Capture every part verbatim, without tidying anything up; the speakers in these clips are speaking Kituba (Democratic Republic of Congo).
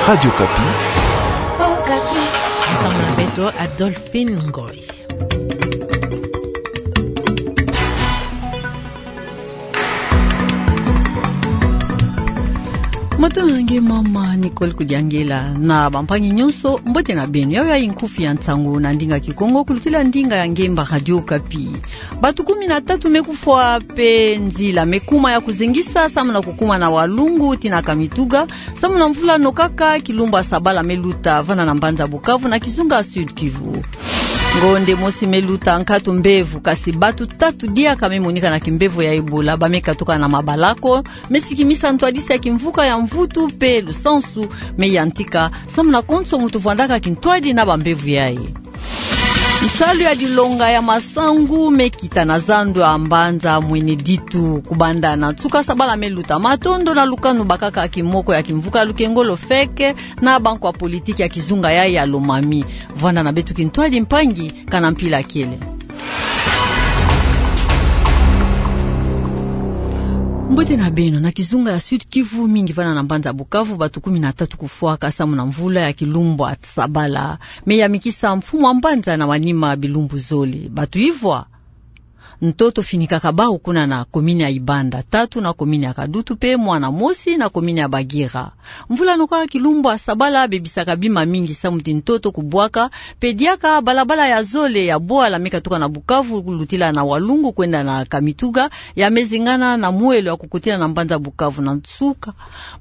Radio Okapi. Ensemble na beto, Adolphine Ngoy. Matondo na nge mama Nicole Kudiangela, na bampangi nyonso, mbote na beno. Yayo yayi nkufi ya nsangu na ndinga Kikongo, kulutila ndinga ya ngemba Radio Okapi. Bato kumi na tatu me kufwa, pe nzila me kuma ya kuzengisa, samu na kukuma na Walungu tii na Kamituga, samu na mvula nokaka, kilumbu ya sabala me luta, vana na mbanza Bukavu na kizunga Sud-Kivu. Ngonde mosi me luta nkatu mbevo, kasi bato tatu diaka me monika na kimbevo ya Ebola, ba me katuka na mabalako, me sikimisa ntwadisi ya kimvuka ya mvutu pe lusansu me yantika, samu na konso muntu vwandaka kintwadi na bambevo yayi. Nsalu ya dilonga ya masangu me kita na zandu ya mbanza Mweneditu, kubanda na nsuka sabala me luta. Matondo na lukanu bakaka kimoko ya kimvuka Lukengolo Feke na bankwa politiki ya kizunga yayi ya Lomami. Vwanda na beto kintwadi, mpangi, kana mpila kele. Mbote na beno. Na kizunga ya Sud-Kivu, mingi vana na mbanza Bukavu, bato kumi na tatu kufwaka samu na mvula ya kilumbu ya sabala me yamikisa mfumu wa mbanza na manima bilumbu zole. Bato ivwa ntoto finikaka bawu kuna na komini ya Ibanda, tatu na komini ya Kadutu, pe mwana mosi na komini ya Bagira. Mvula nokaka, kilumbu ya sabala bebisaka bima mingi, samu ti ntoto kubwaka, pe diaka balabala ya zole ya bwala me katuka na Bukavu kulutila na Walungu kwenda na Kamituga ya me zingana na mwelo ya kukotila na mbanza Bukavu. Na nsuka,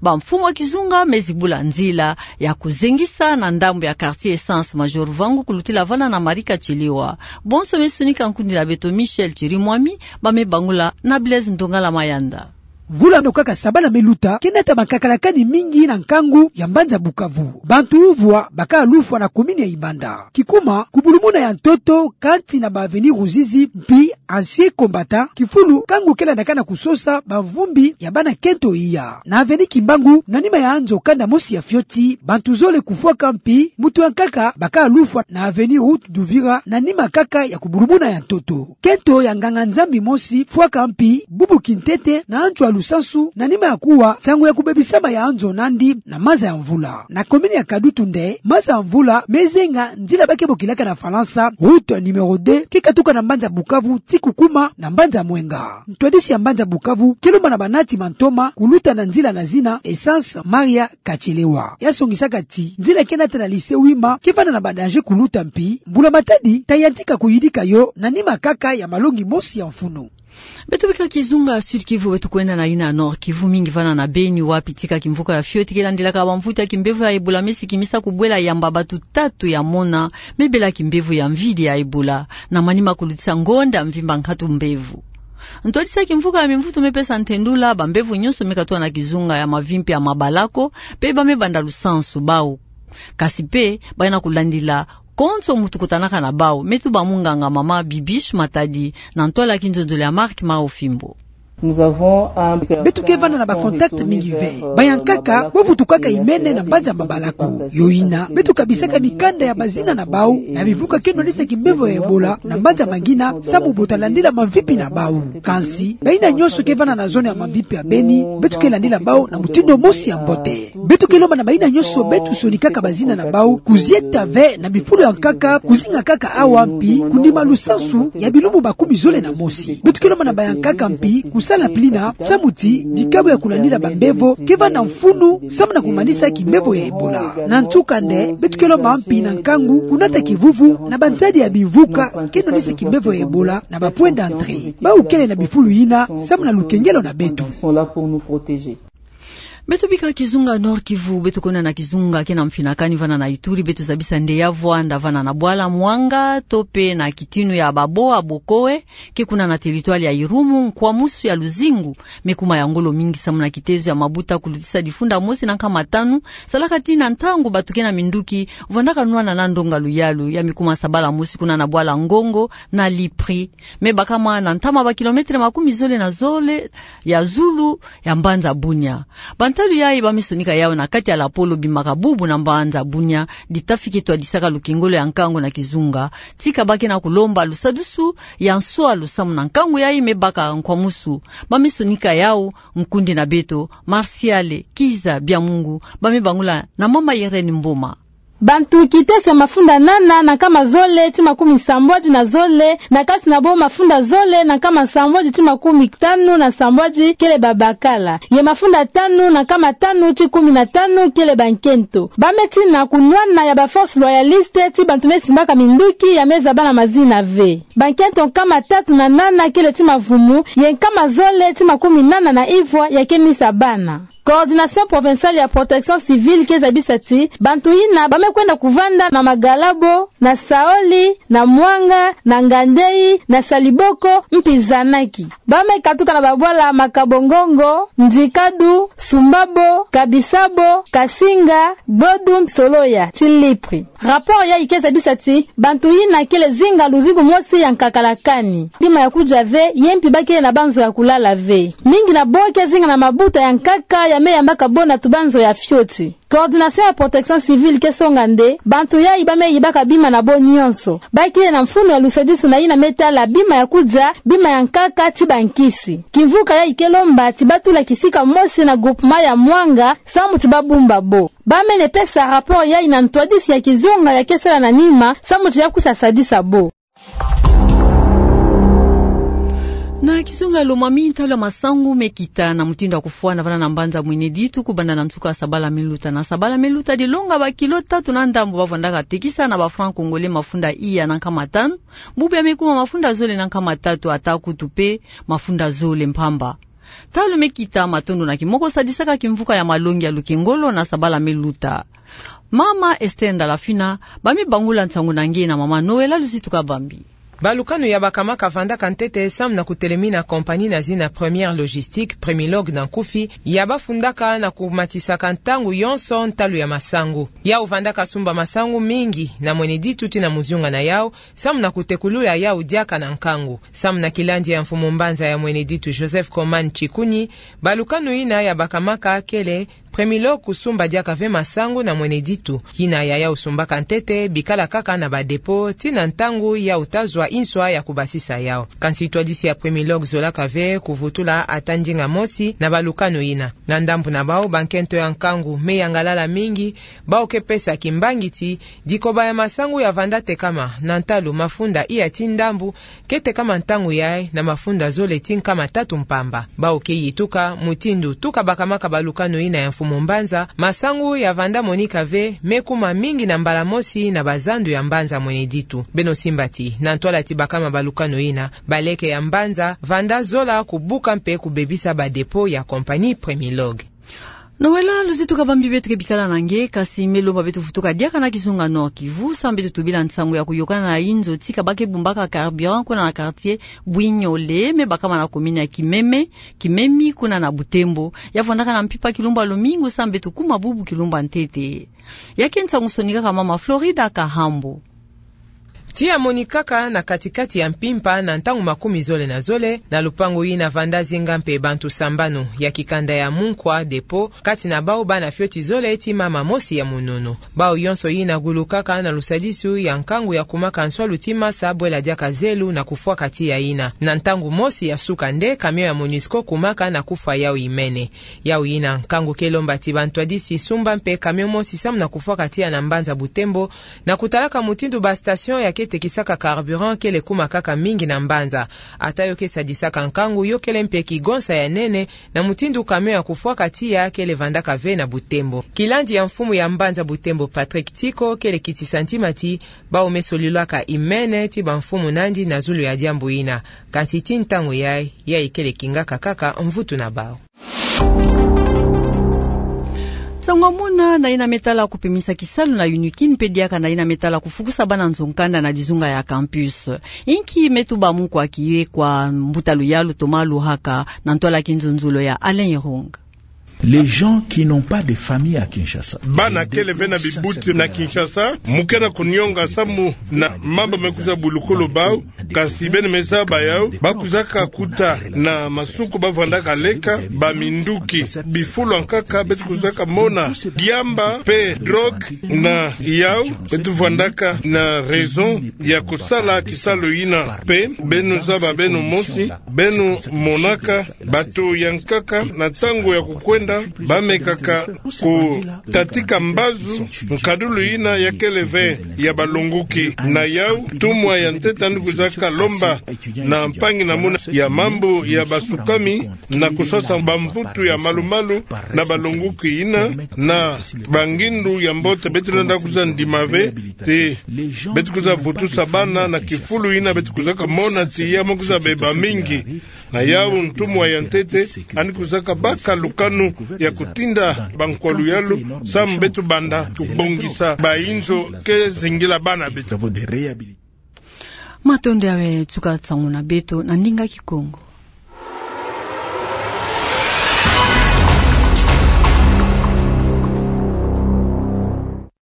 bamfumu ya kizunga me zibula nzila ya kuzengisa na ndambu ya quartier Essence Major Vangu kulutila vana na Marika Chiliwa. Bonso me sonika nkundi na beto Michel Chirimwami, ba me bangula na Blaise Ndongala Mayanda. Mvula nokaka sabala me luta ke nata makakalakani mingi na nkangu ya mbanza Bukavu. Bantu ivwa bakaka lufwa na komini ya Ibanda. Kikuma, kubulumuna ya ntoto kati na ba avenue Ruzizi mpi Anciens Combattants, kifulu nkangu ke landaka na kusosa bamvumbi ya bana kento iya. Na avenue Kimbangu, na nima ya nzo kanda mosi ya fioti, bantu zole kufwaka mpi muntu ya nkaka bakaka lufwa na avenue Route d'Uvira, na nima kaka ya kubulumuna ya ntoto. Kento ya nganga-Nzambi mosi fwaka mpi bubu kintete na ntu ya lusansu, na nima ya kuwa nsangu ya kubebisama ya nzo nandi na maza ya mvula. Na komini ya Kadutu nde, maza ya mvula me zenga nzila ba ke bokilaka na Falansa route numéro deux, ke katuka na mbanza Bukavu tii kukuma na mbanza Mwenga. Ntwadisi ya mbanza Bukavu ke lomba na banati mantoma kuluta na nzila na zina Essence Maria Kachelewa. Ya songisaka ti nzila ke nata na lycée Wima ke vanda na ba danger kuluta mpi mbula-matadi ta yantika kuyidika yo na nima kaka ya malongi mosi ya mfunu. Beto bika kizunga Sud-Kivu, beto kwenda na yina Nord-Kivu, mingi vana na Beni, wapi tika kimvuka ya fioti ke landilaka bamvutu ya kimbevo ya Ebola me sikimisa kubwela yamba bato tatu ya mona me bela kimbevo ya mvidi ya Ebola, na manima kulutisa ngonda mvimba nkatu mbevo. Ntwadisi ya kimvuka ya mimvutu me pesa ntendula, bambevo nyonso me katuka na kizunga ya mavimpi ya mabalako, pe ba me banda lusansu bawu. Kasi pe, bayina kulandila konso muntu kutanaka na bawu. Me tuba munganga mama Bibiche Matadi, na ntwala ya kinzonzolo ya Marc Maofimbo. Beto ke vanda na ba contact mingi ve. Bayankaka bo vutukaka imene na mbanza mabalako. Yo yina, beto kabisaka mikanda ya bazina na bawu, na bivuka ke nwanisa kimbevo ya Ebola na mbanza mangina, samu bo ta landila mavimpi na bawu. Kansi, bayina nyonso ke vanda na zone ya mavimpi ya Beni, beto ke landila bawu na mutindu mosi ya mbote. Beto ke lomba na bayina nyonso beto sonikaka bazina na bawu kuzieta ve na bifulu ya nkaka, kuzinga kaka awa mpi kunima lusansu ya bilumbu makumi zole na mosi. Beto ke lomba na bayankaka mpi kusala mpilina, samu ti dikabu ya kulandila bambevo ke vanda mfunu samu na kumanisa kimbevo ya Ebola. Na nsuka nde, beto ke lomba mpi na nkangu kunata kivuvu na bansadi ya bivuka ke nwanisa kimbevo ya Ebola na ba point d'entrée. Bawu kele na bifulu yina samu na lukengelo na beto. Beto bika kizunga Nord-Kivu, beto kwenda na kizunga ke na mfinakani vana na Ituri, beto zabisa nde ya vwanda vana na bwala Mwanga, to pe na kitinu ya Baboa Bokoe, ke kuna na territoire ya Irumu, nkwamusu ya luzingu me kuma ya ngolo mingi samu na kitezo ya mabuta kulutisa difunda mosi na nkama tanu, salaka ti na ntangu bato ke na minduki vwandaka nwana na ndonga luyalu, ya me kuma sabala mosi kuna na bwala Ngongo na Lipri. Me bakama na ntama ba kilomètre makumi zole na zole ya zulu ya mbanza Bunia. Banta Salu yayi ba me sonika yawu na kati ya lapolo bimaka bubu na mbanza Bunia, dita fike twadisaka lukengolo ya nkangu na kizunga. Tika ba ke na kulomba lusadusu ya nswalu samu na nkangu yayi me baka nkwamusu. Ba me sonika yawu, nkundi na beto, Martial Kiza Biamungu, ba me bangula na mama Irène Mboma. Bantu kiteso ya mafunda nana na nkama zole ti makumi sambwadi na zole, na kati na bo mafunda zole na nkama sambwadi ti makumi tanu na sambwadi kele babakala, ye mafunda tanu na nkama tanu ti kumi na tanu kele bankento. Ba me tina kunwana ya ba forces loyalistes ti bantu me simbaka minduki ya me zaba na mazina ve. Bankento nkama tatu na nana kele ti mavumu, ye nkama zole ti makumi nana na ivwa ya ke misa bana. Coordination provinciale ya protection civile ke zabisa ti bantu yina ba me kwenda kuvanda na Magalabo, na Saoli, na Mwanga, na Ngandei, na Saliboko, mpi Zanaki. Ba me katuka na babwala Makabongongo, Ndikadu, Sumbabo, Kabisabo, Kasinga, Gbodu, Soloya, ti Lipri. Rapport yayi ke zabisa ti bantu yina kele zinga luzingu mosi ya nkakalakani. Bima ya kudia ve, ye mpi ba kele na banzo ya kulala ve. Mingi na bo ke zinga na mabuta ya nkaka ya me yambaka bo na tubanzo ya fioti. Coordination ya protection civile ke songa nde bantu yayi ba me yibaka bima na bo nyonso. Ba kele na mfunu ya lusadisu na yina me tala bima ya kudia, bima ya nkaka ti bankisi. Kimvuka yayi ke lomba ti ba tula kisika mosi na groupement ya Mwanga samu ti ba bumba bo. Ba mene pesa rapport yayi na ntwadisi ya kizunga ya ke sala na nima samu ti ya kusa sadisa bo. Na kizunga Lomami, ntalu ya masangu me kita na mutindu ya kufwana vana na mbanza Mweneditu kubanda na nsuka Sabala Meluta. Na Sabala Meluta dilonga ba kilo tatu na ndambu ba vwandaka tekisa na ba francs congolais mafunda iya na nkama tanu, bubu ya me kuma mafunda zole na nkama tatu, ata kutu pe mafunda zole mpamba. Ntalu me kita, matondo na kimoko sadisaka kimvuka ya malongi ya lukengolo na Sabala Meluta. Mama Esther Ndalafina, ba me bangula nsangu na nge na mama Noëlla Luzitu Kabambi. Balukanu ya bakamaka vandaka ntete samu na kutelemina compagnie na zina Première Logistique, Premilog na nkufi, ya ba fundaka na kumatisaka ntangu yonso ntalu ya masangu. Yau vandaka sumba masangu mingi na Mweneditu ti na muzunga na yau, samu na kutekulula yau diaka na nkangu. Samu na kilandi ya mfumu mbanza ya Mweneditu Joseph Koman Chikunyi, balukanu yina ya bakamaka kele Premilog kusumba diaka ve masangu na Mweneditu. Yina ya yau sumbaka ntete bikala kaka na ba dépôt ti na ntangu yau ta zwa inswa ya kubasisa yau. Kansi twadisi ya Premilog zolaka ve kuvutula ata ndinga mosi na balukanu yina. Na ndambu na bau, bankento ya nkangu me yangalala mingi, bau ke pesa kimbangi ti dikoba ya masangu ya vanda tekama na ntalu mafunda iya ti ndambu ke tekama ntangu yai na mafunda zole ti nkama tatu mpamba. Bau ke yituka mutindu tuka bakamaka balukanu yina ya mfumu mbanza, masangu ya vanda monika ve me kuma mingi na mbala mosi na bazandu ya mbanza Mweneditu. Beno simba ti na ntwala ti bakama balukanu yina, baleke ya mbanza vanda zola kubuka mpe kubebisa ba dépôt ya compagnie Premilog. Noëlla Luzitu Kabambi, beto ke bikala na nge, kansi me lomba beto vutuka diaka na kizunga Nord-Kivu samu beto tubila nsangu ya kuyokana na inzo tika ba ke bumbaka carburant kuna na quartier Bwinyole, me bakama na commune ya Kimeme, Kimemi, kuna na Butembo. Ya vwandaka na mpimpa kilumba lumingu samu beto kuma bubu kilumba ntete. Ya ke nsangu sonikaka mama Florida Kahambo. Ti ya monikaka na katikati ya mpimpa na ntangu makumi zole na zole, na lupangu yina vanda zinga mpe bantu sambanu ya kikanda ya Munkwa dépôt, kati na bau bana fioti zole ti mama mosi ya mununu. Bau yonso yina gulukaka na lusadisu ya nkangu ya kumaka nswalu ti masa bwela diaka zelu na kufwaka tiya yina. Na ntangu mosi ya suka nde camion ya Monusco kumaka na kufwa yau imene. Yau yina nkangu ke lomba ti bantwadisi sumba mpe camion mosi samu na kufwaka tiya na mbanza Butembo, na kutalaka mutindu ba station ya ke tekisaka carburant kele kuma kaka mingi na mbanza. Ata yo ke sadisaka nkangu, yo kele mpe kigonsa ya nene na mutindu camion ya kufwaka tiya kele vandaka ve na Butembo. Kilandi ya mfumu ya mbanza Butembo Patrick Tiko kele kitisa ntima ti bau me solilaka imene ti bamfumu nandi na zulu ya diambu yina. Kansi ti ntangu yai, yai kele kingaka kaka mvutu na bau. Nsangu ya mona na yina me tala kupimisa kisalu na UNIKIN mpe diaka na yina me tala kufukusa bana nzo-nkanda na dizunga ya campus. Inki me tuba mu kwa kiye kwa mbuta luyalu Thomas Luhaka na ntwala kinzonzolo ya Alain Irung. Les gens qui n'ont pas de famille à Kinshasa. Bana kele ve na bibuti na Kinshasa, mu kena kunionga samu na mambu me kwiza bulukulu bau, kasi beno me zaba yau, ba kwizaka kuta na masuku ba vandaka leka, ba minduki, bifulu ya nkaka, beto kwizaka mona diamba pe drogue na yau, beto vandaka na raison ya kusala kisalu yina pe, beno zaba beno mosi, beno monaka, bato ya nkaka na ntangu ya kukwenda, ba mekaka kutatika mbazu, nkadulu yina ya kele ve ya balongoki. Na yau, ntumwa ya ntete yandi kwizaka lomba na mpangi na muna ya mambu ya basukami, na kusasa bamvutu ya malu-malu na balongoki yina, na bangindu ya mbote beto lenda kwiza ndima ve, ti beto kwiza vutusa bana na kifulu yina beto kwizaka mona ti ya me kwiza beba mingi. Na yau ntumwa ya ntete, yandi kwizaka baka lukanu ya kutinda bankwalu yalu, samu beto banda kubongisa bainzo ke zingila bana beto. Matondo ya we tuka nsangu na beto na ndinga Kikongo.